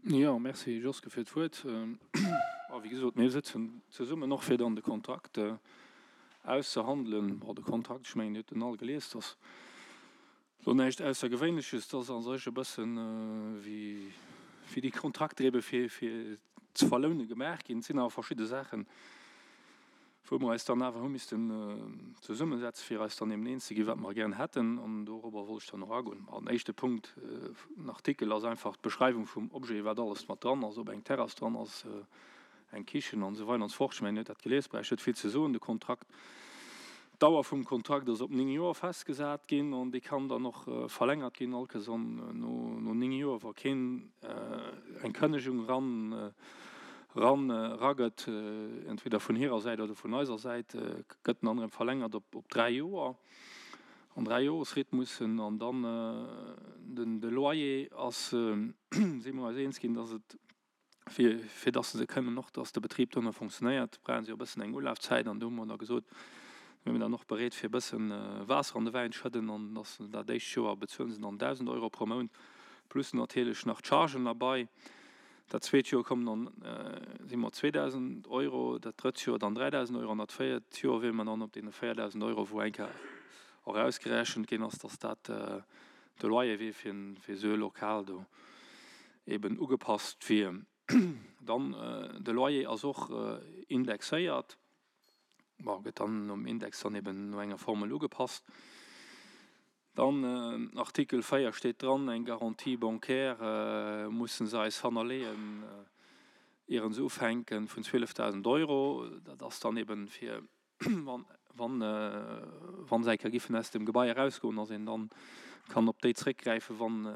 Jo, merci Joske fir d'Wuert. A wéi gesot, mir sëtzen zesummen och fir dann de Kontrakt auszehandelen. Bon, de Kontrakt, ech mengen, Dir hutt en all gelies, dat ass elo näischt Aussergewéinleches. Dat ass a sech e bëssen wéi déi Kontrakter ebe fir ze verloune gemaach ginn. Et sinn awer verschidde Saachen, wou mer eis dann awer hu missten zesummesetzen, fir eis dann eben eens ze ginn, wat mer gären hätten. An dorobber wollt ech dann och agoen. An éischte Punkt, den Artikel ass einfach d'Beschreiwung vum Objet, wat alles mat dran ass, ob eng Terrass dran ass, eng Kichen an esou weider an esou fort. Ech mengen, Dir hutt dat gelies, bräicht net vill ze soen. De Kontrakt, d'Dauer vum Kontrakt ass op 9 Joer festgesat ginn an dee kann dann och verlängert ginn, all Kéiers no 9 Joer, wa keen eng Kënnegung eran ran eragëtt, entweder vun hirer Säit oder vun eiser Säit, gëtt en dann erëm verlängert op op 3 Joer, an Dräijoresrhythmussen. An dann den de Loyer ass, si mer eis eens ginn, dass et fir fir dass se kënnen och, dass de Betrib do nach fonctionnéiert, brauche se och e bëssen eng Ulafzäit. An do hu mer da gesot, mir sinn dann och bereet fir e bëssen Waasser an de Wäin schëdden an dass dat éischt Joer bezuelen se dann 1.000 Euro pro Mount plus natierlech nach d'Chargen derbei. Dat zweet Joer kommen dann, si mer op 2.000 Euro, dat drëtt Joer dann 3.000 Euro an dat véiert Joer wiere mer dann op deene 4.000 Euro, wou eng Kéier och ausgerechent ginn ass, dass dat de Loyer wier fir esou e Lokal do eben ugepasst wier. Dann de Loyer ass och indexéiert. Bon, gëtt dann nom Index dann eben no enger Formel ugepasst. Dann Artikel 4 steet dran, eng Garantie bancaire mussen se eis hannerleeën, ieren se ufänken, vun 12.000 Euro. Dat ass dann eben fir, wann, wann se eng Kéier giffen aus dem Gebai erausgoen, dass een dann kann op déi zréckgräifen, wann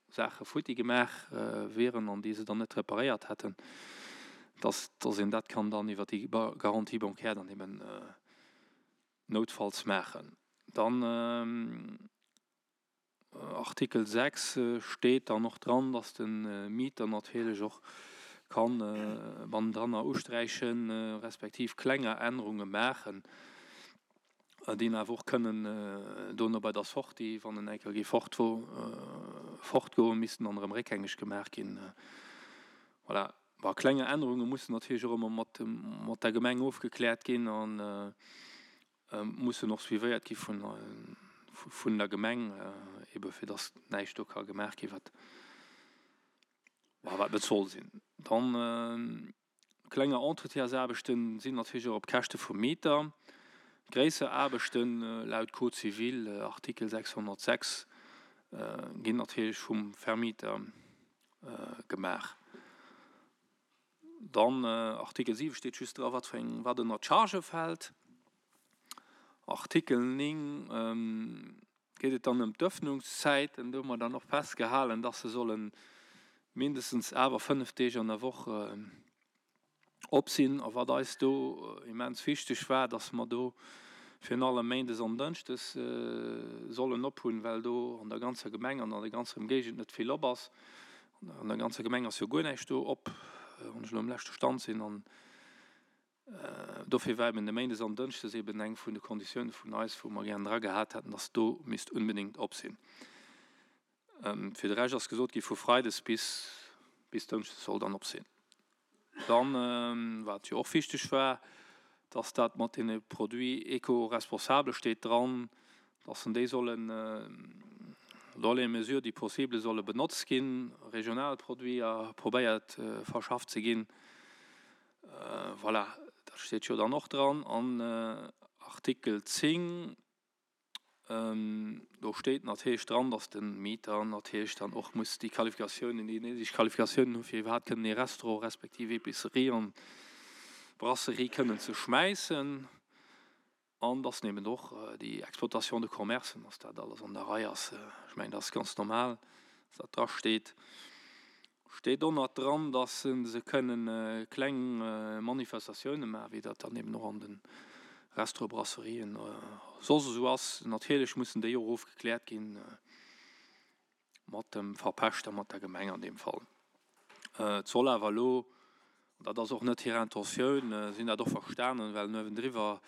Saache futti gemaach wieren an déi se dann net reparéiert hätten, dass, dass een dat kann dann iwwer déi Garantie bancaire dann eben noutfalls maachen. Dann Artikel 6 steet dann och dran, dass de Mieter natierlech och kann bannendranner usträichen, respektiv klenger Ännerunge maachen, déi awer och kënnen dono bei der Sortie, wann en eng Kéier géif fort fortgoen, missten dann erëm réckgängeg gemaach ginn. Voilà. Bon, klenger Ännerunge mussen natierlech och ëmmer mat mat der Gemeng ofgekläert ginn a mussen och suivéiert gi vun vun der Gemeng, ebe fir datt näischt do ka gemaach gi wat, wat net soll sinn. Dann klenger Entretiensaarbechten sinn natierlech och op Käschte vum Mieter. Gréisser Aarbechten laut Code civil, Artikel 606, ginn natierlech vum Vermieter gemaach. Dann Artikel 7 steet just dra wat fir eng, wat ënner d'Chargë fält. Artikel 9 geet et dann ëm d'Ëffnungszäiten. Do hu mer dann och festgehalen, dass se solle mindestens awer 5 Deeg an der Woch op sinn. A wat eis do immens wichteg war, dass mer do virun allem méindes an dënschdes sollen op hunn, well do an der ganzer Gemeng an an der ganzer Ëmgéigend net vill op ass. An der ganzer Gemeng ass jo guer näischt do op, wann ech elo um leschte Stand sinn. An dofir war eben de méindes an dënschdes eben eng vun de Konditioune vun eis, wou mer gären dra gehat hätten, dass do misst unbedéngt op sinn. Fir de Rescht ass gesot gi vu Freides bis bis Dënschdes soll dann op sinn. Dann, wat jo och wichteg war, dass dat mat deene Produits éco-responsables steet dran, dass en déi sollen dans les mesures du possible solle benotzt ginn, regional Produiter probéiert verschafft ze ginn. Voilà, dat steet jo dann och dran. An Artikel 10 Do steet natierlech dran, datt de Mieter natierlech dann och muss déi Qualifikatiounen, déi néideg Qualifikatiounen hu fir iwwerhaapt kënnen ee Restaurant respektiv Epicerie an Brasserie kënnen ze schmäissen. An datt en eben och déi Exploitation de commerce, datt dat alles an der Rei ass. Ech mengen, dat ass ganz normal, datt dat drasteet. Steet och nach dran, dass se kënnen kleng Manifestatioune maachen, wéi dat dann eben och an de Restaurant, Brasserien soss esou ass. Natierlech mussen déi och ofgekläert ginn mat dem Verpächter, mat der Gemeng an deem Fall. Et soll awer elo Dat ass och net hir Intentioun. Si hunn dat och verstanen, well nuewendriwwer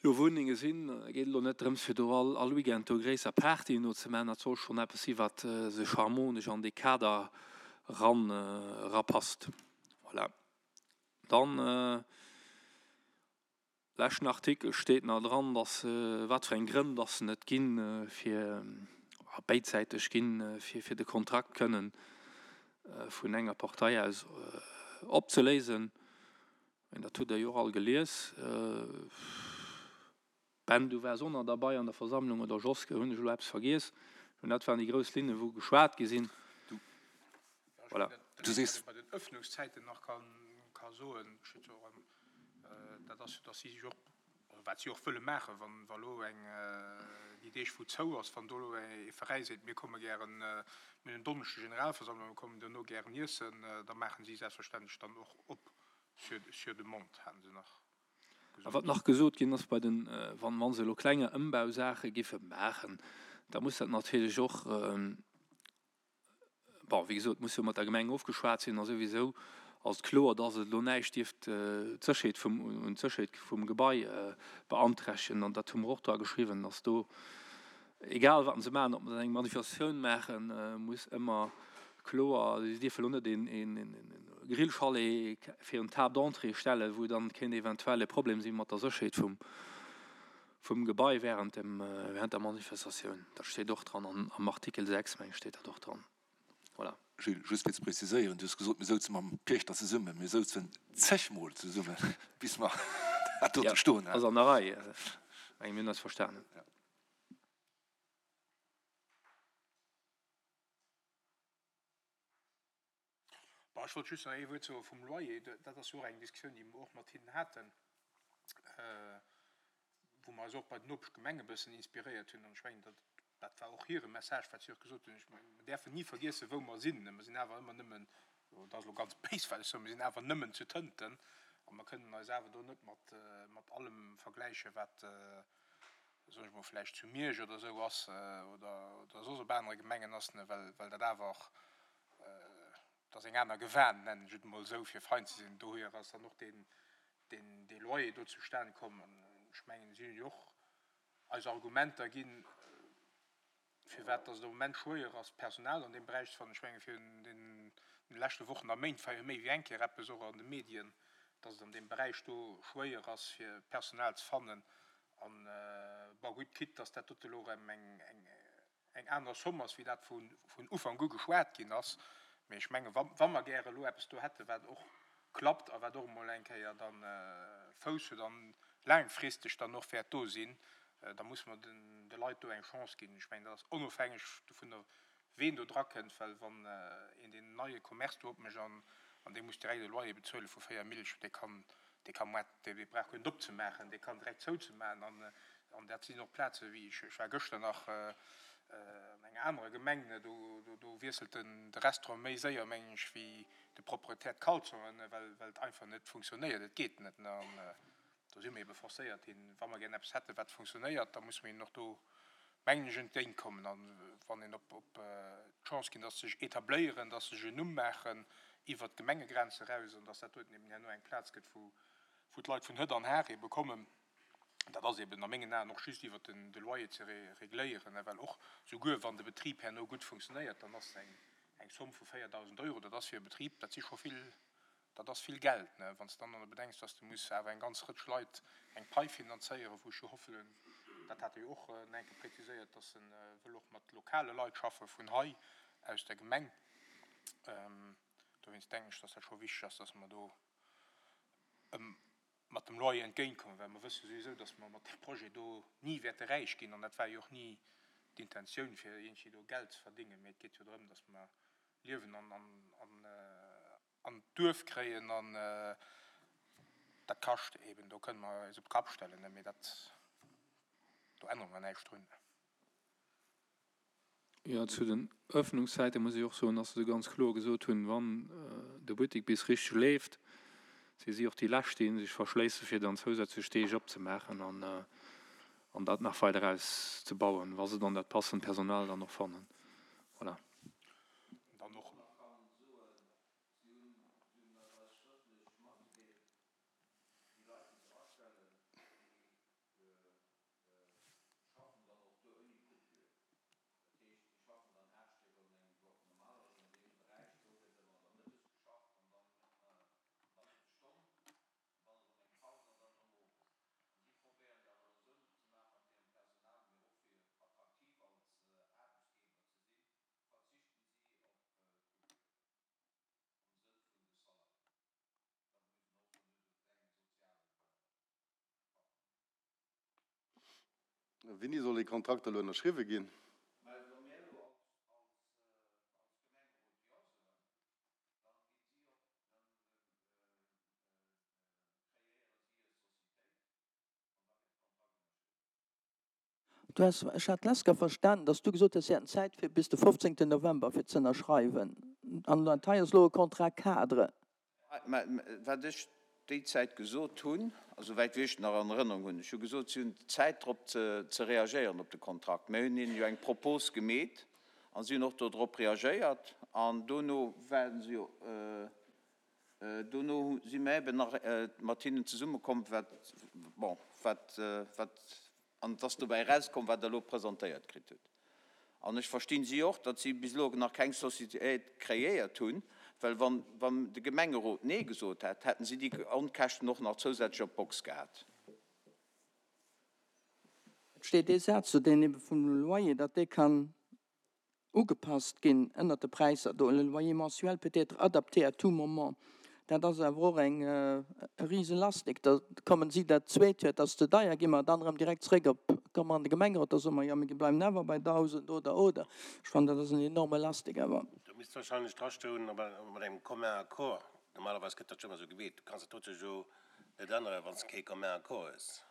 jo Wunnenge sinn. Et geet elo net drëms, fir do all all Weekend do gréisser Partyen do ze maachen. Dat soll schonn eppes si wat sech harmonesch an dee Kader. Eran erapasst. Voilà. Dann, leschten Artikel steet nach dran, dass wat fir eng Grënn dass en et ginn, fir béidsäiteg ginn, fir fir de Kontrakt kënnen vun enger Partei aus opzeléisen. Dat hutt Der jo och all gelies. Ben, du waars och nach derbei an der Versammlung, oder Joske, hunn ech elo eppes vergiess? Mä dat waren déi grouss Linnen, wou geschwat gi sinn. Voilà. Du sees. Bei den Öffnungszäiten nach ka soen, dat ass jo, datt si sech och, oder wat si och wëlle maachen, wann wa lo eng, déi Deeg wou zou ass, wann do elo ee Veräi seet, mir komme gären, mir hunn en Donneschde Generalversammlung, mir kommen duerno gären iessen, da maachen si selbstverständlech dann och op sur, sur demande, haten se nach. A wat nach gesot ginn ass, bei den, wann, wa se elo klenge Ëmbausaache giffe maachen, da muss dat natierlech och, bon, wéi gesot, muss jo mat der Gemeng ofgeschwat sinn a souwisou ass et kloer, dass et elo näischt dierft d'Sécherheet vum, un d'Sécherheet vum Gebai beanträchtegen. An dat hu mer och dra geschriwwen, dass do, Egal wat se maachen, ob se eng Manifestatioun maachen, muss ëmmer kloer, si dierfe lo net een Grillchalet virun d'Table d'entrée stellen, wou dann kéint eventuell e Problem si mat der Sécherheet vum Gebai während der Manifestatioun. Dat steet och dran am Artikel 6, meng ech, steet dat och dran. Voilà. Gilles, just fir ze preziséieren, Du hues gesot, mir souze mam Piechter zesummen. Mir souzen zegmol zesummen, bis mer dat dote stoen haten. Ass an der Rei. Meng, mir hunn eis verstanen. Bon, ech wollt just nach ee Wuert soe vum Loyer. Dat ass jo och eng Diskussioun, déi mer och mat hinnen haten, wou mer eis och bei den Nopeschgemenge e bëssen inspiréiert hunn. An ech mengen, dat, dat war och hire Message, wat si och gesot hunn. Ech mengen, mer däerfen ni vergiessen, wou mer sinn. Mer sinn awer ëmmer nëmmen, dat ass elo ganz béis, wat ech soen, mer sinn awer nëmmen zu Tënten a mer kënnen eis awer do net mat, mat allem vergläichen, wat, soen ech mol, vläicht zu Miersch oder esou ass oder oder soss op anere Gemengen ass, ne, well well dat awer och, dat ass eng aner Gewan, nennen ech et emol esou, fir fein ze sinn. Dohier ass dann och deen deen dee Loyer do zustan komm. An ech mengen, si hunn jo och eis Argumenter ginn, firwat dass et am Moment schwéier ass, Personal an deem Beräich ze fannen. Ech menge virun den leschte Wochen a Méint war jo méi wéi eng Kéier eppes och an de Medien, dass et an deem Beräich do schwéier ass, fir Personal ze fannen. An, bon, gutt, quitte dass dat dote elo erëm eng aner Somme ass wéi dat vun Ufank u geschwat ginn ass, mee ech menge wa mer gäre elo eppes do hätte wat och klappt a wat och emol eng Kéier da Fouss huet an laangfristeg dann och wäert do sinn, da musse mer de Leit do eng Chance ginn. Ech mengen, dat ass onofhängeg dovunner, ween do drakënnt, well wann een deen neie Commerce do opmécht an dee muss direkt e Loyer bezuele vu 4 Millchen, dee kann, dee ka moit, dee brauch guer net opzemaachen, dee kann direkt zouzemaachen. An dat sinn och Plaze wéi, ech war gëschter nach an enger anerer Gemeng, do wiesselt de Restaurant méi séier, mengen ech, wéi de Proprietär d'Kalzonen, well et einfach net funktionéiert. Et geet net. An do si mir ebe forcéiert, hinnen, wa mer gären eppes hätten, wat funktionéiert, da musse mir hinnen och do, mengen ech, entgéintkommen. A wann een op d'Chance ginn, dass se sech etabléieren, dass se sech en Numm maachen iwwert d'Gemengegrenze eraus an dass dat doten eben herno eng Plaz gëtt, wou d'Leit vun hëtt an har ebe kommen, dat ass eben a mengen Aen och just iwwert de Loyer ze regléieren, well och souguer wann de Betrib herno gutt funktionéiert, dann ass eng eng Somme vu 4.000 Euro, dat ass fir e Betrib, dat si scho vill, dat ass vill Geld, wann s de dann nach bedenks, dass de muss awer eng ganz Rëtsch Leit eng Pai finanzéieren, wou ech jo hoffelen, dat hat e jo och nach eng Kéier präziséiert, dass e wëll och mat lokale Leit schaffe vun hei aus der Gemeng. Dowéinst denken ech, dass dat scho wichteg ass, dass mer do mat dem Loyer entgéintkommen, well mer wësse souwisou, dass mer mat deem Projet do ni wäerte räich ginn. An dat war jo och ni d'Intentioun, fir iergendwéi do Geld ze verdéngen, mee et geet jo drëm, dass mer Liewen an d'Duerf kréien an dat kascht eeben. Do kënne mer eis op de Kapp stellen, mee dat, do ännere mer näischt drun. Jo, zu den Öffnungszäite muss ech och soen, dass se ganz kloer gesot hunn, wann de Buttek bis richteg leeft, si si och déi Lescht, déi sech verschléissen, fir dann zousätzlech Deeg opzemaachen an dat nach weider auszebauen, wa se dann dat passend Personal dann och fannen. Voilà. schaffen dann och do ouni Coupure. Dat heescht, déi schaffen dann 8 Stéck an engem Woch. Normalerweis an deem Beräich do gëtt. Wéini soll dee Kontrakt elo ënnerschriwwe ginn? Du has, ech hat d'lescht verstanen, dass du gesot hues, si hätten Zäit fir bis de 15. November fir ze ënnerschreiwen. An dat hei ass elo e Contrat cadre. Mä wat ech déi Zäit gesot hunn, a souwäit wéi ech et nach an Erënnerung hunn, ech hu gesot, si hunn Zäit drop ze reagéieren op de Kontrakt. Mir hunn hinnen jo eng Propos gemeet a si hunn och dodrop reagéiert. An dono ware se jo, Dono si mer eben nach mat hinnen zesummekomm, wat, bon, wat, wat, an et ass dobäi erauskomm, wat Der elo presentéiert kritt hutt. An ech verstinn si och, datt si bis elo nach keng Sociétéit kreéiert hunn, well wann, wann de Gemengerot Nee gesot hätt, hätten si déi Onkäschten och nach zousätzlech op d'Box gehat. Et steet ee Saz do, deen ebe vum Loyer, datt dee kann ugepasst ginn ënnert de Präisser do, le loyer mensuel peut être adapté à tout moment. Dat ass awer och eng e Riselastik. Da kommen si dat zweet Joer, et ass ze deier, gi mer dann erëm direkt zréck op, komme mer an de Gemengerot, da soe mer, jo mir bleiwen awer bei 1.000 oder, oder. Ech fannen, dat ass en enorme Lastik awer. Do misst wahrscheinlech drastoen, mat engem commun accord. Normalerweis gëtt dat jo ëmmer esou gemeet. Du kanns dat dote jo net änneren, wann s de kee commun accord hues.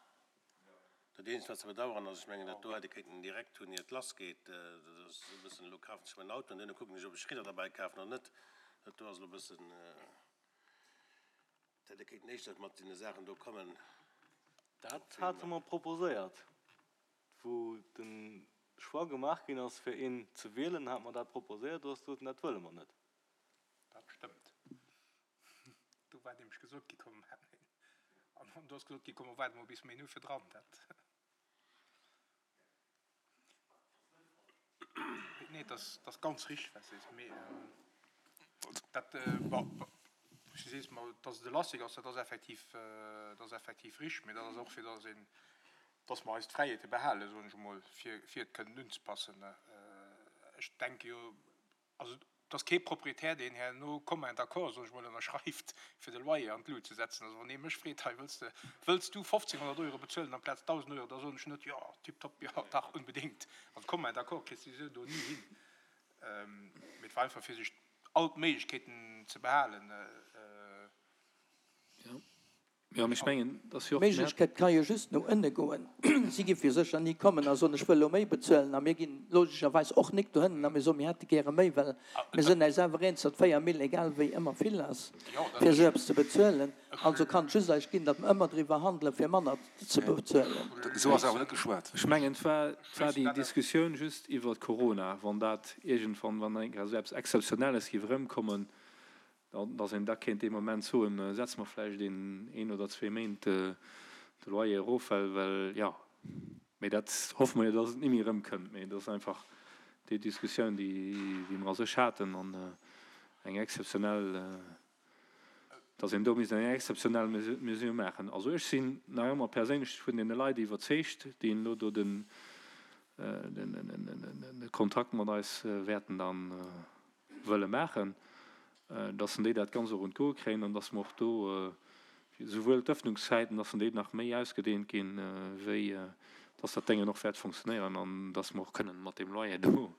Dat eenzegt wat ze bedauern ass, ech mengen dat do hätt ee kéinten direkt hunn iert et lass geet, dat ass e bëssen, elo kafen ech mäin Auto an duerno kucken ech ob ech Ridder derbäi kafen oder net, dat do ass elo e bëssen, dat hätt ee kéinten éischter mat deene Saachen do kommen. Dat hate mer proposéiert, wou de Choix gemaach ginn ass fir een ze wielen, hate mer dat proposéiert, do ass gesot ginn, dat wëlle mer net. Dat stëmmt. Do war nämlech gesot gi komm, an do ass gesot gi komm, mer waarde mol bis méi no virdran. Dat nee, dat ass, dat ass ganz richteg, wat s de sees. Mee dat, bon, wou s de sees, ma dass et e Lastik ass, dat ass effektiv, dat ass effektiv richteg. Mee dat ass och fir dass een, dass mer eis d'Fräiheete behalen, soen ech emol, fir, fir et kënnen unzepassen. Ech denke jo, Also et ass kee Proprietär, deen herno commun d'accord, soen ech mol, ënnerschreift, fir de Loyer an d'Lut ze setzen. Also wann ee mech freet, hei wëlls de, wëlls du 1.500 Euro bezuelen amplaz 1.000 Euro, da soen ech net, jo, tiptop, jo, dach, unbedéngt. Also commun d'accord kriss de esou do ni hin. Mee et war einfach fir sech all d'Méiglechkeeten ze behalen. Jo, mee ech mengen, dass jo och. D'Méiglechkeet ka jo just no ënne goen. Si gi fir sécher ni kommen a soen, ech wëll elo méi bezuelen. A mir ginn logescherweis och nik dohënnen a mir soen, mir hätte gäre méi, well mir sinn äis awer eens, datt 4 Mille egal wéi ëmmer vill ass, fir esou eppes ze bezuelen. Also kann et just eis ginn, datt mer ëmmer driwwer handelen, fir manner ze bezuelen. Esou ass awer net geschwat. Ech mengen, et war, et war déi Diskussioun just iwwert Corona, wann dat iergendwann, wann eng Kéier esou eppes Exzeptionelles géif erëmkommen, Dass een da kéint dee Moment soen, setze mer vläicht een, een oder zwee Méint de Loyer erof, well, well, jo, mee dat hoffe mer jo, dass et ni méi erëmkënnt. Mee et ass einfach déi Diskussioun, déi, déi mer a sech haten an eng exzeptionell, dass een do misst eng exzeptionell Mesure maachen. Also ech sinn nach ëmmer perséinlech vun deene Leit iwwerzeegt, déi elo do den, den, den Kontrakt mat eis wäerten dann wëlle maachen, dass en déi dat Ganzt och un d'Goe kréien an dass mer och do souwuel d'Öffnungszäiten, dass en déi nach méi ausgedehnt ginn, wéi dass dat Déngen och wäert funktionéieren an dass mer och kënnen mat deem Loyer do,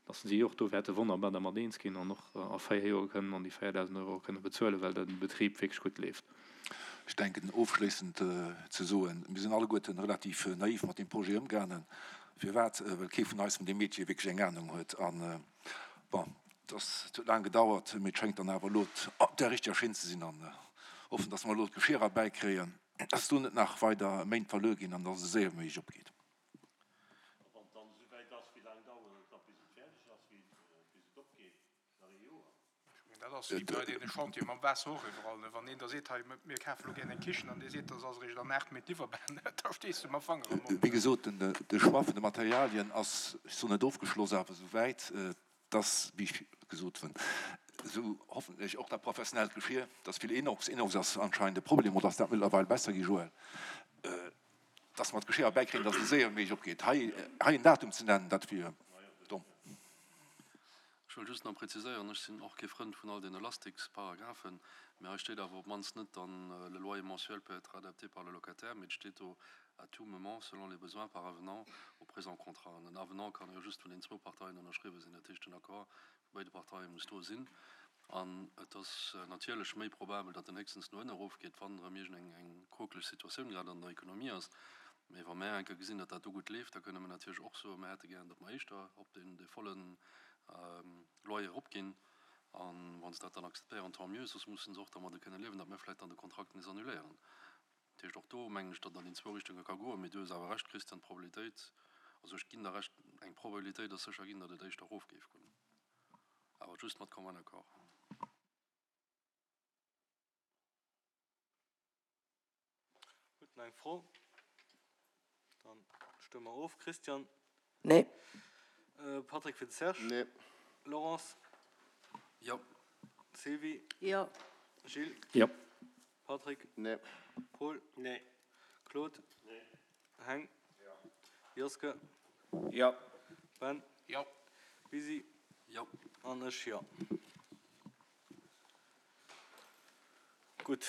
dass si och do wäerte wonnerbar dermat eens ginn an och a 4 Joer kënnen an déi 4.000 Euro kënne bezuelen, well de Betrib wierklech gutt leeft. Ech denken, ofschléissend ze soen, mir sinn alleguerten relativ naiv mat deem Projet ëmgaangen. Firwat? Well kee vun eis vun deem Metier wierklech eng Anung huet. An Bon, et ass, et huet laang gedauert, mee et schéngt dann awer elo op der richteger Schinn ze sinn an hoffen, dass mer elo d'Geschier erbäikréien, dass do net nach weider Méint verluer ginn an dass et esou séier wéi méiglech opgeet. A wann et dann esouwäit ass, wéi laang dauert et da bis et fäerdeg ass, bis et opgeet? Nach ee Joer? Ech mengen, dat ass wéi bei deene Chantiere mam Waasser och iwwerall, ne? Wann een da seet, hei, mir kafe lo gären eng Kichen, an dee seet, dat ass eréischt an 8 Méint liwwerbar, da stees du mam Fanger am Mond. Wéi gesot, de Choix vun de Materialien ass, ech soen net ofgeschloss, awer esouwäit, dass, wéi ech gesot hunn, esou hoffentlech och dat professionellt Geschir, dass vill Inox, Inox ass anscheinend e Problem, oder ass dat mëttlerweil besser gi, Joël, dass mer d'Geschir erbäikréien, dass et esou séier wéi méiglech opgeet. Hei, hei en Datum ze nennen, dat wier domm. Ech wëll just nach präziséieren, ech sinn och kee Frënd vun all den Elastiksparagraphen, mä hei steet awer op d'mannst net dann le loyer mensuel peut être adapté par le locataire, mee et steet do à tout moment selon les besoins par avenant au présent contrat. An en Avenant kann jo just vun den zwou Parteien ënnerschriwwen sinn, dat heescht den Accord vu béide Parteie muss do sinn. An et ass natierlech méi probabel, datt en héchstens no ënne erofgeet, wann erëm iergend eng quokeleg Situatioun grad an der Ekonomie ass. Mee wa mär eng Kéier gesinn, datt dat do gutt leeft, da kënne mer natierlech och soen, mär hätte gären, datt mer éischter op deen, dee volle Loyer eropginn. A wa se dat dann akzeptéieren, tant mieux, soss musse se och dermadde kënne liewen, datt mir vläicht dann de Kontrakt nees annuléieren. Dat heescht, och do mengen ech, datt et an déi zwou Richtunge ka goen. Mee du hues awer Recht, Christian, d'Probabilitéit, also ech ginn der Recht, eng Probabilitéit ass sécher ginn, datt et éischter erof géif goen. Awer just mat commun accord. Huet nach eng Fro? Dann stëmme mer of. Christian? Nee. Patrick fir de Serge? Nee. Laurence? Jo. Sylvie? Jo. Gilles? Jo. Patrick? Nee. Paul? Nee. Claude? Nee. Heng? Jo. Joske? Jo. Ben? Jo. Lisi? Jo. An ech jo. Gutt.